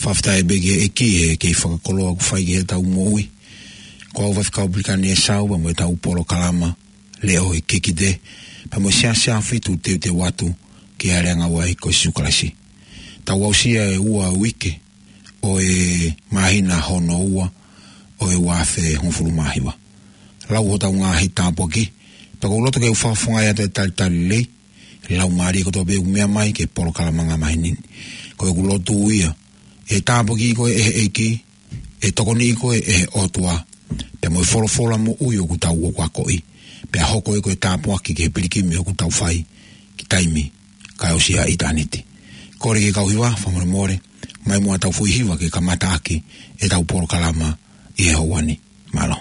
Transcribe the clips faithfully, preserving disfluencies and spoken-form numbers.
Fakafetaʻi pē ki he ʻEiki he kei fakakoloa ʻoku fai ki heʻetau moʻui. Ko au Faifekau Pilikani ʻe Sau, pea mo ʻetau polokalama, Leʻo ʻi he Kikite, pea mo e Siasi ʻAhofitu teuteu atu ki he ʻAliʻanga ʻo e ʻEiki ko Sīsū Kalaisi. Tau aʻusia e ua uike ʻo e māhina hono ua ʻo e ua afe hongofulu mā hiva. Lau hotau ngaahi tāpuaki, pea ʻoku ou loto ke u fakafofongaʻi atu e talitali lelei, laumālie kotoa pē ʻoku meʻa mai ki he polokalama ʻa e māhina ni. Ko ʻeku lotu ia, ʻe tāpuakiʻi koe ʻe he ʻEiki, ʻe tokoniʻi koe ʻe he ʻOtua, pea mo e folofola moʻui ʻoku tau akoʻi, pea hoko ia ko e tāpuaki ki he pilikimi ʻoku tau fai, ki taimi, kae ʻosi ʻa ʻitāniti. Kole ki he kau hiva, fakamolemole, mai muʻa ʻetau foʻi hiva ke kamata ʻaki ʻetau polokalama ʻi he houa ni. Mālō.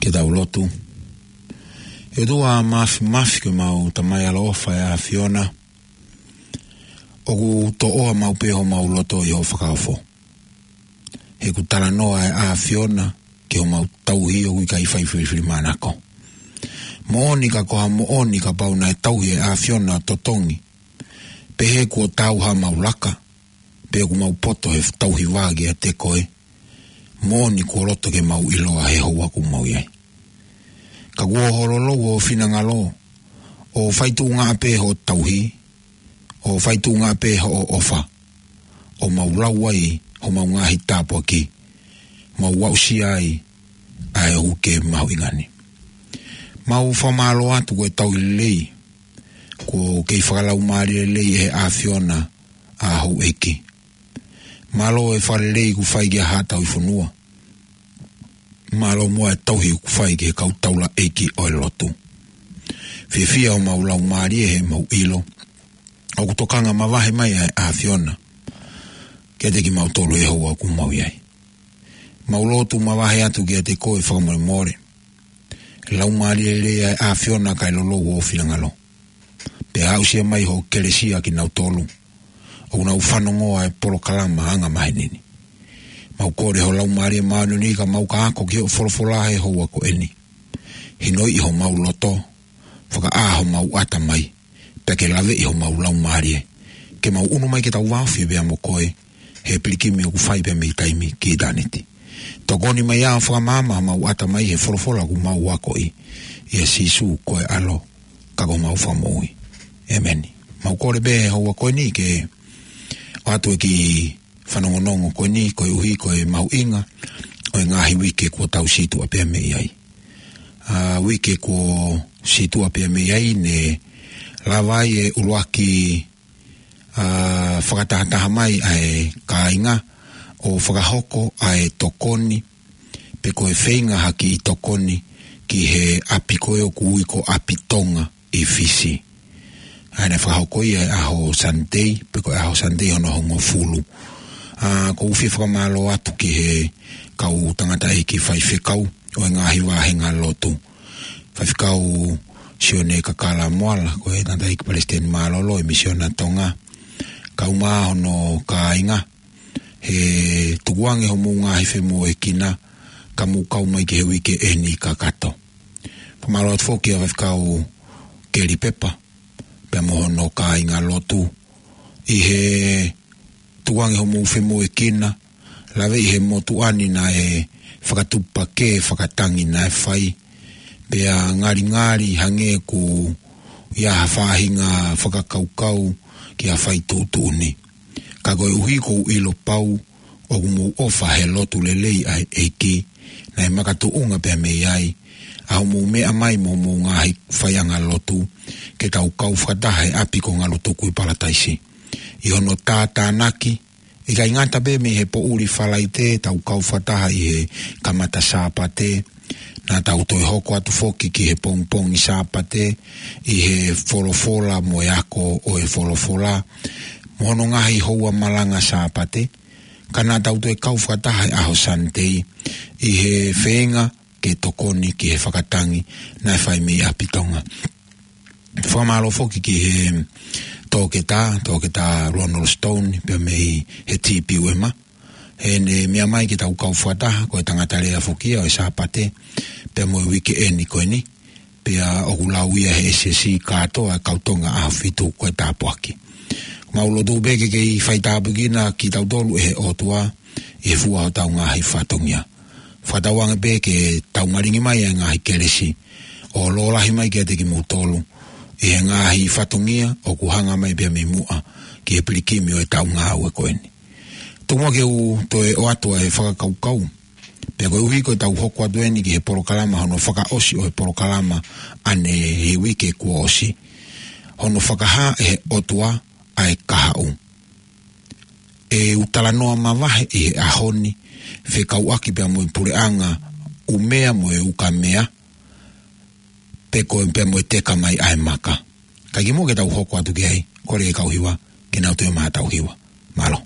Ke tau lotu. ʻE ʻOtua Māfimafi, ko homau Tamai ʻaloʻofa ʻa e ʻAfiona, ʻoku toʻoa maʻu pē homau loto ʻi hoʻo fakaofo. He ʻoku talanoa ʻa e ʻAfiona ki homau tauhi ʻoku ʻikai fai filifilimānako. Moʻoni ka ko ha moʻoni kapau naʻe tauhi ʻa e ʻAfiona ʻo totongi, pehē kuo taau haʻamau laka, pe ʻoku mau poto he tauhi vā kiate koe, moʻoni kuo loto ke mau ʻiloa he houa ʻoku mau ʻi ai. Ka kuo hololou hoʻo finangalo, ʻo faituʻunga pē hoʻo tauhi, ʻo faituʻunga pē hoʻo ʻofa, ʻo mau lau ai homau ngaahi tāpuaki, mau aʻusia ai ʻa e uike mahuʻinga ni. Mau fakamālō atu ko e tauhi lelei, kuo kei fakalaumālie lelei ʻe he ʻAfiona ʻa houʻeiki. Mālō e fakalelei kuo fai ki he haʻa tauhi fonua. Mālō muʻa e tauhi kuo fai ki he kau taulaʻeiki ʻo e lotu. Fiefia homau laumālie he mau ʻilo ʻoku tokanga mavahe mai ʻa e ʻAfiona kiate kimautolu he houa ʻoku mau ʻi ai. Mau lotu mavahe atu kiate koe fakamolemole. Laumālie lelei ʻa e ʻAfiona kae lolou hoʻo finangalo. Pea aʻusia mai hoʻo kelesi ʻa kinautolu ʻoku nau fanongo ʻa e polokalama anga maheni ni. Mau kole ho Laumālie Māʻoniʻoni ka mau ka ako ki hoʻo folofola he houa ko eni. Hinoʻi homau loto, fakaʻā homau ʻatamai, pea ke laveʻi homau laumālie, ke mau ʻunu mai ke tau vāofi pea mo koe, he pilikimi ʻoku fai pea mei taimi ki ʻitāniti. Tokoni mai ʻo fakamaama homau ʻatamai he folofola ʻoku mau akoʻi, ʻia Sīsū ko e ʻAlo, ka ko homau Fakamoʻui. ʻEmeni. Mau kole pē he houa ko eni ke ʻoatu e kiʻi fanongonongo ko eni, koeʻuhi ko e mahuʻinga ʻo e ngaahi uike kuo tau situʻa pea mei ai. ʻA, uike kuo sītuʻa pea mei ai ne lava ai e ʻuluaki, ā, fakatahataha mai ʻa e kāinga ʻo fakahoko ʻa e tokoni, pe ko e feinga ha kiʻi tokoni ki he ʻapi ko ē ʻoku ui ko ʻApitonga ʻi Fisi. ʻA ia naʻe fakahoko ia he ʻaho Sunday, pe ko e ʻaho Sunday hono hongofulu. Ā, ʻoku ou fie fakamālō atu ki he kau tangataʻeiki faifekau ʻo e ngaahi vāhenga lotu. Faifekau Sione Kakala Moala, ko e tangataʻeiki palesiteni mālōlō ʻo e Misiona Tonga. Kae ʻumaʻā hono kāinga, he tukuange hoʻomou ngaahi femoʻuekina, ka mou kau mai ki he uike ʻeni kakato. Fakamālō atu foki ʻa Faifekau Keli Pepa, pea mo hono kāinga lotu, ʻi he tukuange hoʻomou femoʻuekina, lave ʻi he motuʻa ni naʻe fakatupu pē ke fakatangi naʻe fai, pea ngalingali hangē ʻoku ʻi ai ha faʻahinga fakakaukau ki ha fai tuʻutuʻuni. Ka koeʻuhi ʻoku ou ʻilo pau ʻoku mou ʻofa he lotu lelei ʻa e ʻEiki, naʻe makatuʻunga pea mei ai ʻa hoʻomou meʻa mai mo hoʻomou ngaahi faiʻanga lotu, ke tau kau fakataha he ʻapi ko Ngalutuku ʻi Palataisi. ʻI hono tātānaki, ʻikai ngata pē mei he poʻuli Falaite, tau kau fakataha ʻi he kamata Sāpate, naʻa tau toe hoko atu foki ki he pongipongi Sāpate, ʻi he folofola mo e ako ʻo e folofola, mo hono ngaahi houa malanga Sāpate, ka naʻa tau toe kau fakataha he ʻaho Sunday, ʻi he feinga ke tokoni ki he fakatangi naʻe fai mei ʻApitonga. Fakamālō foki ki he toketā, toketā Ronald Stone, pea mei he T P U M. Heʻene meʻa mai ke tau kau fakataha, ko e tangata lea foki ia ʻo e Sāpate, pea mo e uike ʻeni ko eni, pea ʻoku lau ia he S S C kātoa ʻa e kau Tonga ʻAhofitu ko e tāpuaki. Mau lotu pē ke kei faitāpuekina kitautolu ʻe he ʻOtua, ʻi he fua hotau ngaahi fatongia. Fakatauange pē ke tau malingi mai ʻa e ngaahi kelesi ʻo lōlahi mai kiate kimoutolu ʻi he ngaahi fatongia ʻoku hanga mai pea mei muʻa ki he pilikimi ʻo e taʻu ngāue ko eni. Tuku muʻa ke u toe ʻoatu ʻa e fakakaukau. Pea koeʻuhi ko ʻetau hoko atu eni ki he polokalama hono fakaʻosi ʻo e polokalama ʻanenai he uike kuo ʻosi. Hono fakahā ʻe he ʻOtua ʻa e kahaʻu. ʻE u talanoa mavahe ʻi he ʻaho ni, fekauʻaki pea mo e puleʻanga ʻUmea mo e Ukamea, pe ko e pea mo e teka mai ʻa e maka. Ka kimuʻa ke tau hoko atu ki ai, kole ki he kau hiva, ke nau toe maʻu haʻatau hiva. Mālō.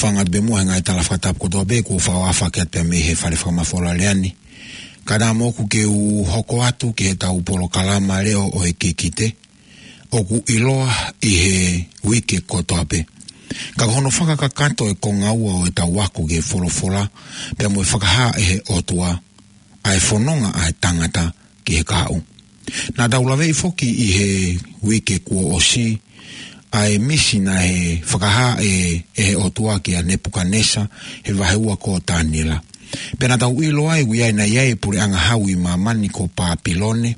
Hanga pē muʻa he ngaahi tala fakatapu kotoa pē kuo fakaafe atu pē mei he fale fakamafola lea ni. Ka naʻa moʻoku ke u hoko atu ki heʻetau polokalama leʻo ʻo e kikite, ʻoku ʻiloa ʻi he uike kotoa pē. Ka ko hono fakakakato e konga ua ʻo ʻetau ako ki he folofola, pea mo e fakahā ʻe he ʻOtua ʻa e fononga ʻa e tangata ki he kahaʻu. Naʻa tau laveʻi foki ʻi he uike kuo ʻosi ʻa e misi naʻe fakahā ʻe, ʻe he ʻOtua kia Nepukanesa he vahe ua ko Taniela. Pea naʻa tau ʻilo ai ʻoku ʻi ai, naʻe ʻi ai e puleʻanga hau ʻi māmani ko Papilone,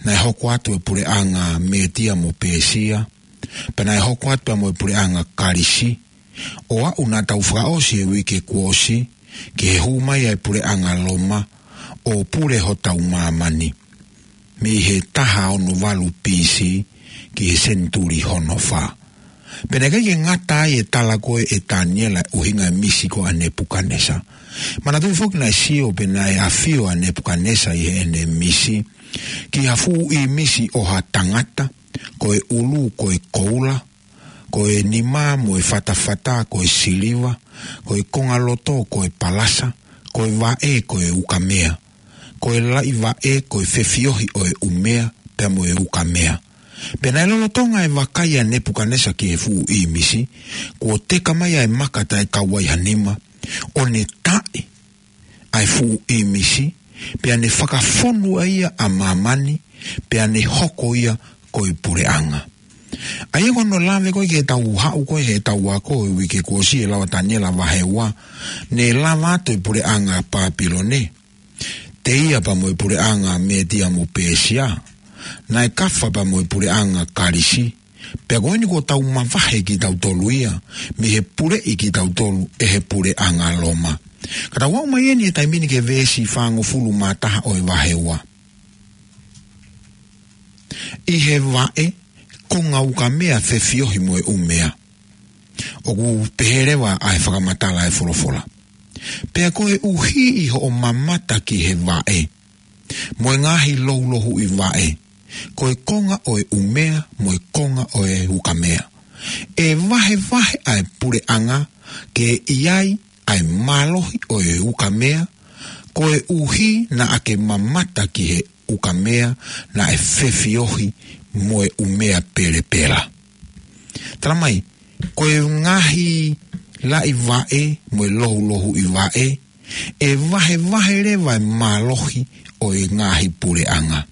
naʻe hoko atu e puleʻanga Metia mo Pēsia, pea naʻe hoko atu pea mo e puleʻanga Kalisi, ʻo aʻu naʻa tau fakaʻosi he uike kuo ʻosi ki he hū mai ʻa e puleʻanga Loma ʻo pule hotau māmani mei he taha ono valu B C ki he senituli hono fā. Pea naʻe ʻikai ke ngata ai e tala ko ē ʻe Taniela ʻuhinga e misi ko ia ʻa Nepukanesa. Manatuʻi foki naʻe sio pe naʻe ʻafio ʻa Nepukanesa ʻi heʻene misi ki ha fuʻu ʻīmisi ʻo ha tangata, ko e ʻulu ko e koula, ko e nima mo e fatafata ko e siliva, ko e kongaloto ko e palasa, ko e vaʻe ko e ukamea, ko e laʻi vaʻe ko e fefiohi ʻo e ʻumea pea mo e ukamea. Pea naʻe lolotonga e vakai ʻa Nepukanesa ki he fuʻu ʻīmisi, kuo teka mai ʻa e maka taʻe kau ai ha nima, ʻo ne taʻe ʻa e fuʻu ʻīmisi, pea ne fakafonu ai ia ʻa māmani, pea ne hoko ia ko e puleʻanga. ʻA ia ko hono lave ko ē ki heʻetau haʻu ko ē heʻetau ako ʻi he uike kuo ʻosi, ʻe lava Taniela vahe ua, ne lava atu e puleʻanga Papilone, telia pea mo e puleʻanga Metia mo Pēsia, naʻe kafa pea mo e puleʻanga Kalisi, pea ko eni kuo tau mavahe kitautolu ia mei he puleʻi kitautolu ʻe he puleʻanga Loma. Ka tau aʻu mai eni he taimi ni ki he veesi fāngofulu mā taha ʻo e vahe ua. ʻI he vaʻe, konga ukamea, fefiohi mo e ʻumea. ʻOku pehē leva ʻa e fakamatala ʻa e folofola: Pea koeʻuhi ʻi hoʻo mamata ki he vaʻe mo e ngaahi loulouhiʻi vaʻe, ko e konga ʻo e ʻumea mo e konga ʻo e ukamea, ʻe vahevahe ʻa e puleʻanga ke ʻi ai ʻa e mālohi ʻo e ukamea, koeʻuhi naʻa ke mamata ki he ukamea naʻe fefiohi mo e ʻumea pelepela. Tala mai, ko e ngaahi laʻi vaʻe mo e loulouhiʻi vaʻe, ʻe vahevahe leva e mālohi ʻo e ngaahi puleʻanga,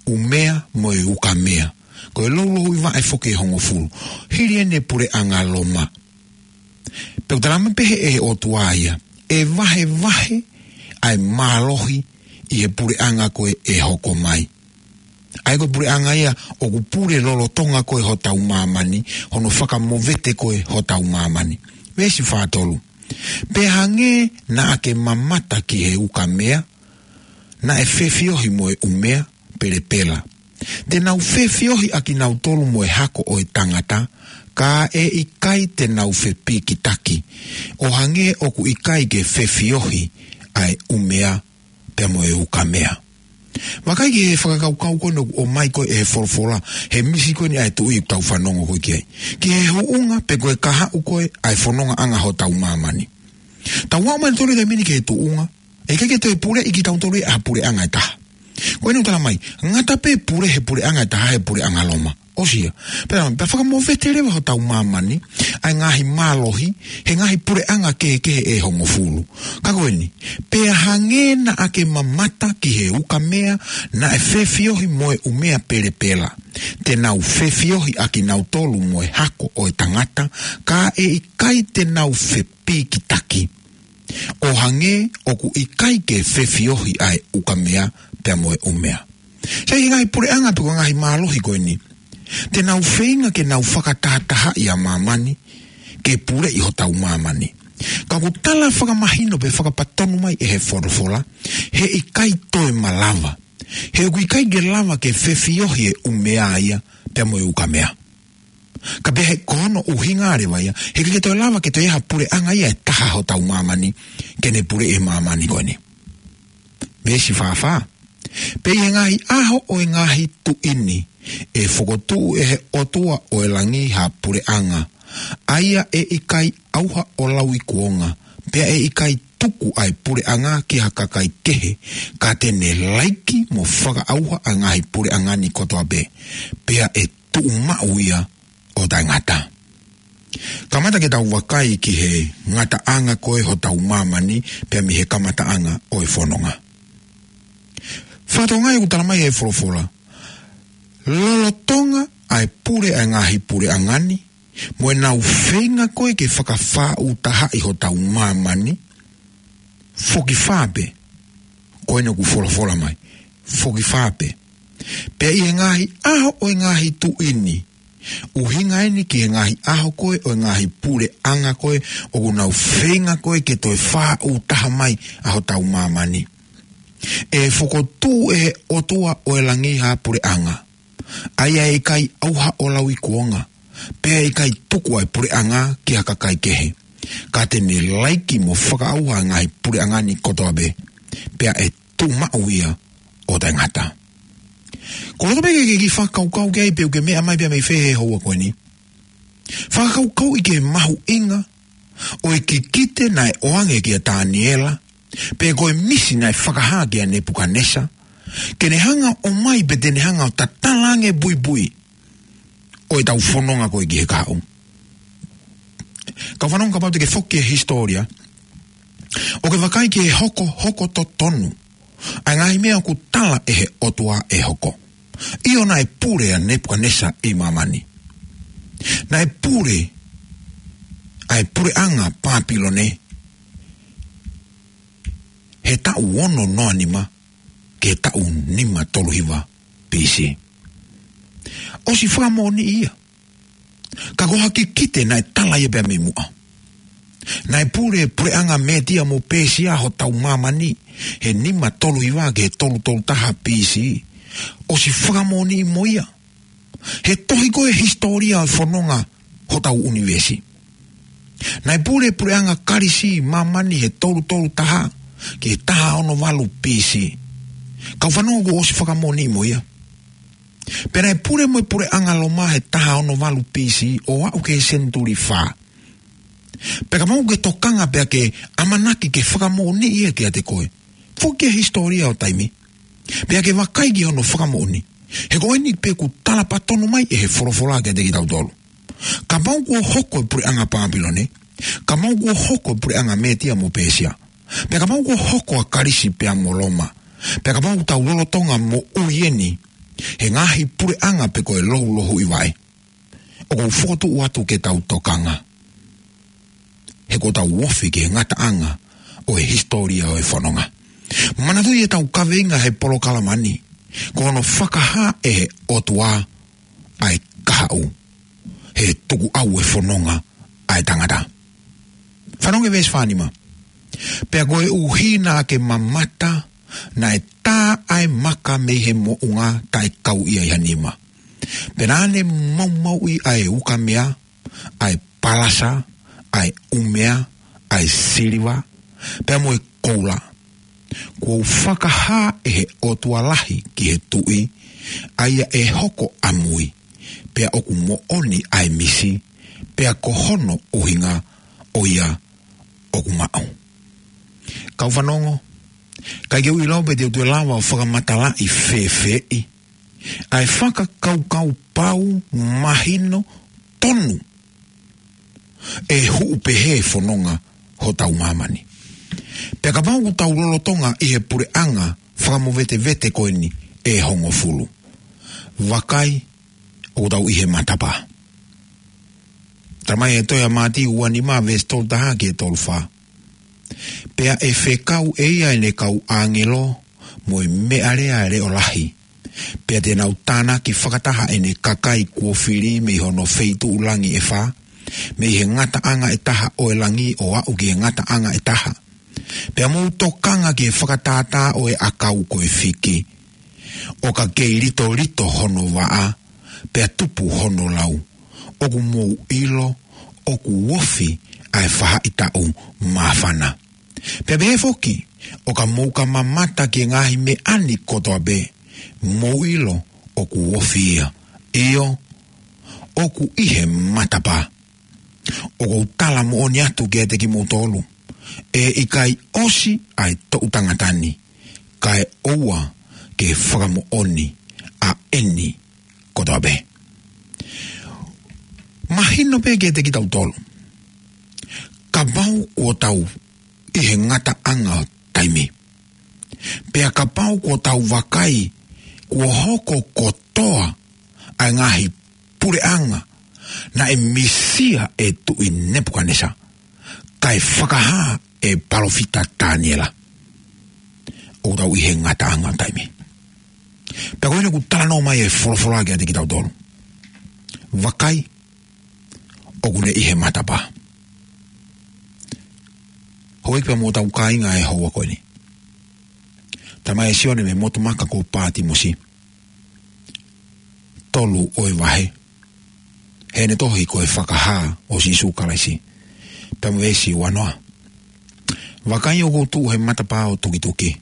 ʻumea mo e ukamea. Ko e loulouhiʻi vaʻe foki ʻe hongofulu, hili eni e puleʻanga Loma. Pea ʻoku tala mai pē ʻe he ʻOtua ia, ʻe vahevahe ʻa e mālohi ʻi he puleʻanga ko ē ʻe hoko mai. ʻA ia ko e puleʻanga ia ʻoku pule lolotonga ko ē hotau māmani, hono fakamovete ko ē hotau māmani. Veesi fā tolu: Pea hangē naʻa ke mamata ki he ukamea naʻe fefiohi mo e ʻumea pelepela, te nau fefiohi ʻa kinautolu mo e hako ʻo e tangata, ka ʻe ʻikai te nau fepikitaki, ʻo hangē ʻoku ʻikai ke fefiohi ʻa e ʻumea pea mo e ukamea. Vakai ki he fakakaukau ko eni ʻoku ʻomai ko ē ʻe he folofola he misi ko eni ʻa e tuʻi ʻoku tau fanongo ko ē ki ai, ki he huʻunga pe ko e kahaʻu ko ē ʻa e fonongaʻanga hotau māmani. Tau aʻu mai tonu he taimi ni ki he tuʻunga, ʻe ʻikai ke toe puleʻi kitautolu ʻe ha puleʻanga ʻe taha. Ko eni ʻoku tala mai, ngata pē pule he puleʻanga ʻe taha, he puleʻanga Loma, ʻosi ia. Pea, pea fakamovete leva hotau māmani ʻa e ngaahi mālohi he ngaahi puleʻanga kehekehe ʻe hongofulu. Ka ko eni: Pea hangē naʻa ke mamata ki he ukamea naʻe fefiohi mo e ʻumea pelepela, te nau fefiohi ʻa kinautolu mo e hako ʻo e tangata, ka ʻe ʻikai te nau fepikitaki, ʻo hangē ʻoku ʻikai ke fefiohi ʻa e ukamea pea mo e ʻumea. Sai, he ngaahi puleʻanga pe ko e ngaahi mālohi ko eni, te nau feinga ke nau fakatahatahaʻi ʻa māmani ke puleʻi hotau māmani. Ka ʻoku tala fakamahino pe fakapatonu mai ʻe he folofola, he ʻikai toe malava. He ʻoku ʻikai ke lava ke fefiohi e ʻumea ia pea mo e ukamea. Ka pehē ko hono ʻuhinga leva ia, he ʻikai ke toe lava ke toe ʻi ai ha puleʻanga ia ʻe taha hotau māmani ke ne puleʻi e māmani ko eni. Veesi fā fā: Pea ʻi he ngaahi ʻaho ʻo e ngaahi tuʻi ni, ʻe fokotuʻu ʻe he ʻOtua ʻo e langi ha puleʻanga ʻA ia ʻe ʻikai ʻauha ʻo lauikuonga, pea ʻe ʻikai tuku ʻa e puleʻanga ki ha kakai kehe, ka te ne laiki mo fakaʻauha ʻa e ngaahi puleʻanga ni kotoa pē, pea ʻe tuʻu maʻu ia ʻo taʻengata. Kamata ke tau vakai ki he ngataʻanga ko ē hotau māmani, pea mei he kamataʻanga ʻo e fononga. Fakatokangaʻi ʻoku tala mai ʻe he folofola, lolotonga ʻa e pule ʻa e ngaahi puleʻanga ni, mo ʻenau feinga ko ē ke fakafāʻūtahaʻi hotau māmani, foki fā pē, ko eni ʻoku folofola mai, foki fā pē. Pea ʻi he ngaahi ʻaho ʻo e ngaahi tuʻi ni, ʻuhinga eni ki he ngaahi ʻaho ko ē ʻo e ngaahi puleʻanga ko ē ʻoku nau feinga ko ē ke toe fāʻūtaha mai ʻa hotau māmani, ʻe fokotuʻu ʻe he ʻOtua ʻo e langi ha puleʻanga, ʻa ia ʻe ʻikai ʻauha ʻo lauikuonga, pea ʻe ʻikai tuku ʻa e puleʻanga ki ha kakai kehe, ka te ne laiki mo fakaʻauha ʻa e ngaahi puleʻanga ni kotoa pē, pea ʻe tuʻu maʻu ia ʻo taʻengata. Ko e loto pē ke ke kiʻi fakakaukau ki ai pe ʻoku ke meʻa mai pea mei fē he houa ko eni. Fakakaukauʻi ki he mahuʻinga ʻo e kikite naʻe ʻoange kia Taniela, pe ko e misi naʻe fakahā kia Nepukanesa, ke ne hanga ʻo ʻomai pe te ne hanga ʻo tatala ange puipui ʻo ʻetau fononga ko ē ki he kahaʻu. Kau fanongo, kapau te ke foki ki he hisitōlia, ʻo ke vakai ki he hokohoko totonu ʻa e ngaahi meʻa ʻoku tala ʻe he ʻOtua ʻe hoko. ʻIo, naʻe pule ʻa Nepukanesa ʻi māmani. Naʻe pule ʻa e puleʻanga Pāpilone he taʻu ono noa nima ki he taʻu nima tolu hiva B C. ʻOsi fakamoʻoniʻi ia. Ka ko ha kikite naʻe tala ia pea mei muʻa. Naʻe pule puleʻanga Mētia mo Pēsia hotau māmani he nima tolu hiva ki he tolu tolu taha B C. ʻOsi fakamoʻoniʻi mo ia he tohi ko ē hisitōlia ʻo e fononga hotau ʻunivēsi. Naʻe pule puleʻanga Kalisi ʻi māmani he tolu tolu taha ki he taha ono valu B C. Kau fanongo, kuo ʻosi fakamoʻoniʻi mo ia. Pea naʻe pule mo e puleʻanga Loma he taha ono valu B C ʻo aʻu ki he senituli fā. Pea kapau ʻoku ke tokanga pea ke ʻamanaki ke fakamoʻoniʻi ia kiate koe, foki ki he hisitōlia ʻo taimi, pea ke vakai ki hono fakamoʻoni. He ko eni pē ʻoku tala patonu mai ʻe he folofola kiate kitautolu. Kapau kuo hoko e puleʻanga Pāpilone, kapau kuo hoko e puleʻanga Mētia mo Pēsia, pea kapau kuo hoko ʻa Kalisi pea mo Loma, pea kapau ʻoku tau lolotonga moʻui eni he ngaahi puleʻanga pe ko e loulohuʻi vaʻe, ʻoku ou fokotuʻu atu ke tau tokanga, he kuo tau ofi ki he ngataʻanga ʻo e hisitōlia ʻo e fononga. Manatuʻi ʻetau kaveinga he polokalama ni, ko hono fakahā ʻe he ʻOtua ʻa e kahaʻu he tukuʻau e fononga ʻa e tangata. Fanongo ki he veesi fā nima. Pea koeʻuhi naʻa ke mamata, naʻe tā ʻa e maka mei he moʻunga taʻe kau ia ʻi ha nima. Pea naʻa ne maumauʻi ʻa e ukamea, ʻa e palasa, ʻa e ʻumea, ʻa e siliva, pea mo e koula. Kuo u fakahā ʻe he ʻOtua lahi ki he tuʻi, ʻa ia ʻe hoko ʻamui, pea ʻoku moʻoni ʻa e misi, pea ko hono ʻuhinga ʻo ia ʻoku maʻu. Kau fanongo, ʻikai ke u ʻilo pe te u toe lava ʻo fakamatalaʻi fēfeeʻi ʻa e fakakaukau pau, mahino, tonu ʻe huʻu pehē e fononga hotau māmani. Pea kapau ʻoku tau lolotonga ʻi he puleʻanga fakamovetevete ko eni ʻe hongofulu, vakai, ʻoku tau ʻi he matapā. Tala mai ʻe he tohi ʻa Mātiu ua nima veesi tolu taha ki he tolu fā. Pea ʻe fekau ʻe ia ʻene kau ʻāngelo mo e meʻalea leʻo lahi. Pea te nau tānaki fakataha ʻene kakai kuo fili mei hono feituʻu langi ʻe fā, mei he ngataʻanga ʻe taha ʻo e langi ʻo aʻu ki he ngataʻanga ʻe taha. Pea mou tokanga ki he fakatātā ʻo e ʻakau ko e fiki, ʻo ka kei litolito hono vaʻa, pea tupu hono lau, ʻoku mou ʻilo ʻoku ofi ʻa e faʻahitaʻu māfana. Pea pehē foki, ʻo ka mou ka mamata ki he ngaahi meʻa ni kotoa pē, mou ʻilo ʻoku ofi ia. ʻIo, ʻoku ʻi he matapā. ʻOku ou tala moʻoni atu kiate kimoutolu, ʻe ʻikai ʻosi ʻa e toʻu tangata ni, kae ʻoua ke fakamoʻoni ʻa eni kotoa pē. Mahino pē kiate kitautolu, kapau kuo tau ʻi he ngataʻanga ʻo taimi, pea kapau kuo tau vakai kuo hoko kotoa ʻa e ngaahi puleʻanga naʻe misia ʻe Tuʻi Nepukanesa, kae fakahā ʻe palōfita Taniela, ʻoku tau ʻi he ngataʻanga ʻo taimi. Pea ko eni ʻoku talanoa mai e folofola kiate kitautolu. Vakai, ʻoku ne ʻi he matapā. Houʻeiki pea mo hotau kāinga ʻi he houa ko eni. Talamai ʻe Sione mei he motu maka ko Pātimosi, tolu ʻo e vahe, heʻene tohi ko e Fakahā ʻo Sīsū Kalaisi, pea mo e veesi uanoa: Vakai, ʻoku ou tuʻu he matapā ʻo tukituki.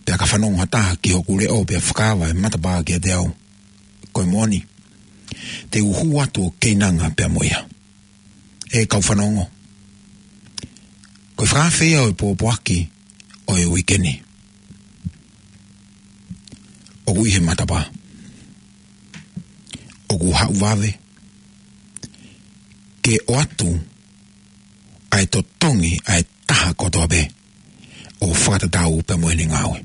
Pea ka fanongo ha taha ki hoku leʻo pea fakaava e matapā kiate au, ko e moʻoni, te u hū atu ʻo keinanga pea mo ia. ʻE kau fanongo, ko e fakaafe ia ʻo e pōpoaki ʻo e uike ni. ʻOku ʻi he matapā. ʻOku haʻu vave ke ʻoatu ʻa e totongi ʻa e taha kotoa pē ʻo fakatatau pea mo ʻene ngāue.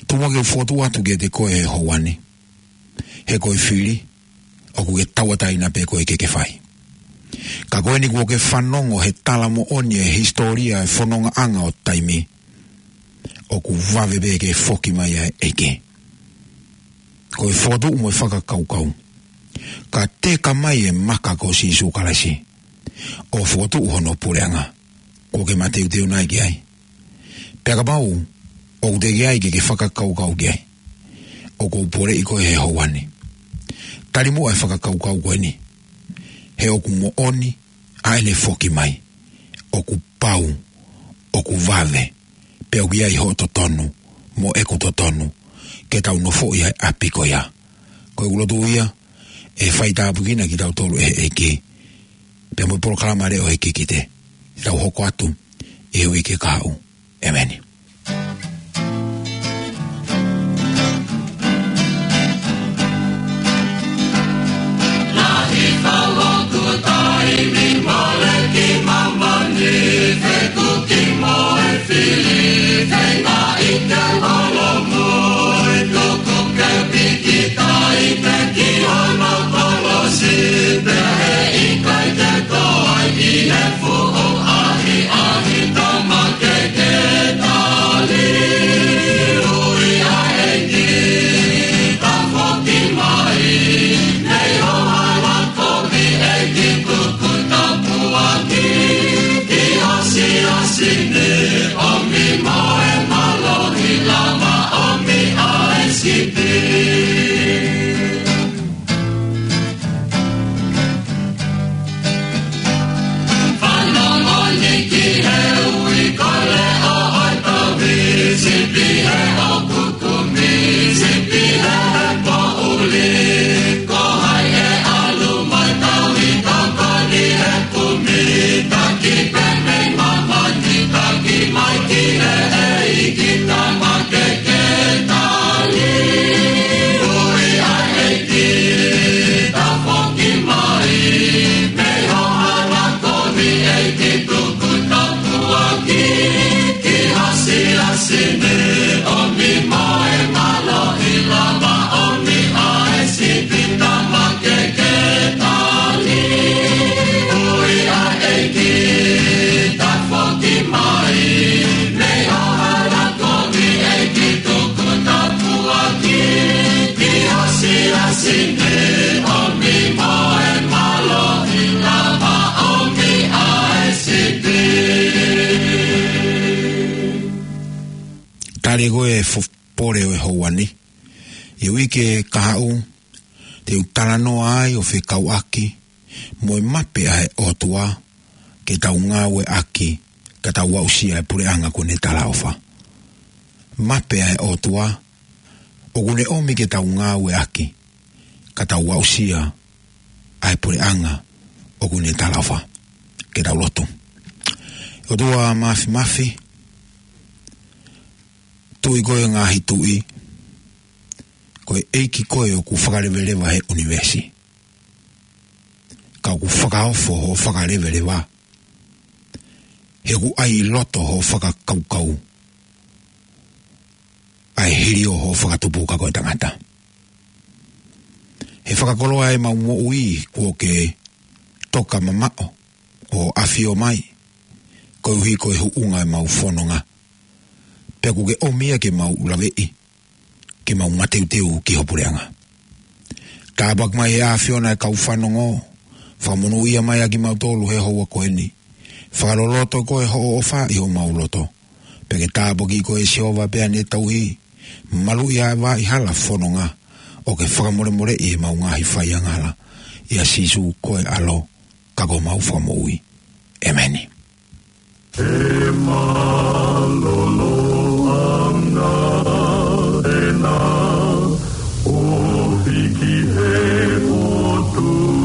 Tuku muʻa ke u fokotuʻu atu kiate koe he houa ni, he ko e fili ʻoku ke tauʻatāina pē koe ke ke fai. Ka ko eni kuo ke fanongo he tala moʻoni e hisitōlia e fonongaʻanga ʻo taimi, ʻoku vave pē ke foki mai ʻa e ʻEiki. Ko e fokotuʻu mo e fakakaukau, ka teka mai e maka ko Sīsū Kalaisi ʻo fokotuʻu hono puleʻanga, kuo ke mateuteu nai ki ai? Pea kapau ʻoku teʻeki ai ke ke fakakaukau ki ai, ʻoku ou poleʻi koe he houa ni, tali muʻa e fakakaukau ko eni, he ʻoku moʻoni ʻa ʻene foki mai. ʻOku pau, ʻoku vave, pea ʻoku ʻi ai hoʻo totonu mo ʻeku totonu ke tau nofoʻi ʻa e ʻapi ko ia. Ko ʻeku lotu ia, ʻe faitāpuekina kitautolu ʻe he ʻEiki pea mo e polokalama leʻo he kikite, tau hoko atu ʻi he uike kahaʻu. ʻEmeni. Lahi fau hoku taimi mole ki māmani, fekuki mo e fili, feinga ʻi ke holomui, tuku ke piki tai pe ki hono kolosi, pea he ʻikai ke toe ʻi he fuʻu ʻahiʻahi, tama ke ke tali. Ui ʻa e ʻEiki, tafoki mai, mei ho hala kovi ʻEiki, tuku tāpuaki ki ho siasi ni, ʻomi mo e mālohi lava, ʻomi ʻa e sipi. Fanongo ni ki he ui, ko e leʻo ʻo e tauhi, sipi he ʻoku kumi, sipi he poʻuli. Ko hai ʻe ʻalu mai tauhi, tokoni he kumi, taki pē mei māmani, taki mai ki he ʻEiki, tama ke ke tali. Ui ʻa e ʻEiki, tafoki mai, mei ho hala kovi ʻEiki, tuku tāpuaki ki ho siasi ni, ʻomi mo e mālohi lava, ʻomi ʻa e sipi, tama ke ke tali. Ui ʻa e ʻEiki, tafoki mai, mei ho hala kovi ʻEiki, tuku tāpuaki ki ho siasi ni, ʻomi mo e mālohi lava, ʻomi ʻa e sipi. Tali ko e fo-, pole ʻo e houa ni, ʻi he uike kahaʻu, te u talanoa ai ʻo fekauʻaki mo e mape ʻa e ʻOtua ke tau ngāueʻaki, ka tau aʻusia e puleʻanga kuo ne talaʻofa. Mape ʻa e ʻOtua ʻoku ne ʻomi ke tau ngāueʻaki, ka tau aʻusia ʻa e puleʻanga ʻoku ne talaʻofa. Ke tau lotu. ʻOtua Māfimafi, Tuʻi koe ʻo e ngaahi tuʻi, ko e ʻEiki koe ʻoku fakaleveleva he ʻunivēsi. Ka ʻoku fakaofo hoʻo fakaleveleva, he ʻoku ʻai ʻi loto hoʻo fakakaukau ʻa e hili ʻo hoʻo fakatupu ka ko e tangata. He fakakoloa ʻemau moʻui kuo ke toka mamaʻo ʻo ʻafio mai, koeʻuhi ko e huʻunga ʻemau fononga. Pea ʻoku ke ʻomi ia ke mau laveʻi, ke mau mateuteu ki ho puleʻanga. Tāpuaki mai ʻe he ʻAfiona e kau fanongo, fakamonūʻia mai ʻa kimautolu he houa ko eni. Fakaloloto koe hoʻo ʻofa ʻi homau loto. Pea ke tāpuakiʻi koe Sihova pea ne tauhi, maluʻi ʻa e vaʻa hala fononga, ʻo ke fakamolemoleʻi ʻemau ngaahi faiangahala. ʻIa Sīsū ko e ʻAlo, ka ko homau Fakamoʻui. ʻEmeni. He mālōlōʻanga ʻena ʻo hiki he ʻOtua,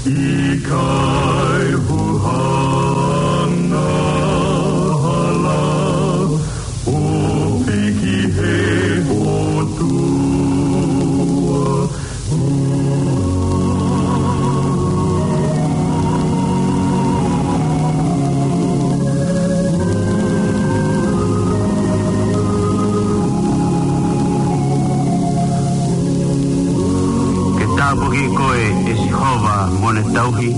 ʻikai huhanga hala ʻo hiki he ʻOtua. Ke tāpuakiʻi koe ʻe Sihova mo ne tauhi,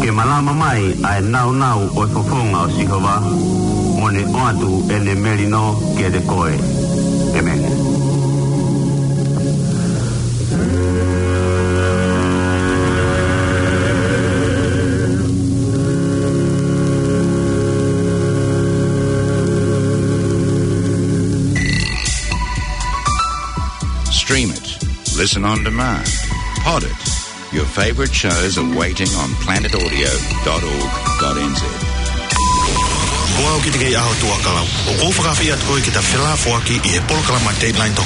ke malama mai ʻa e naunau ʻo e fofonga ʻo Sihova, mo ne ʻoatu ʻene melino kiate koe. ʻEmeni. Stream it, listen on demand, pod it. Your favorite shows are waiting on planet audio dot org dot N Z. Ko au Kitikei ʻAho Tuʻakalau. ʻOku ou fakaafeʻi atu koe ke ta felāfoaki ʻi he polokalama Dateline Tonga.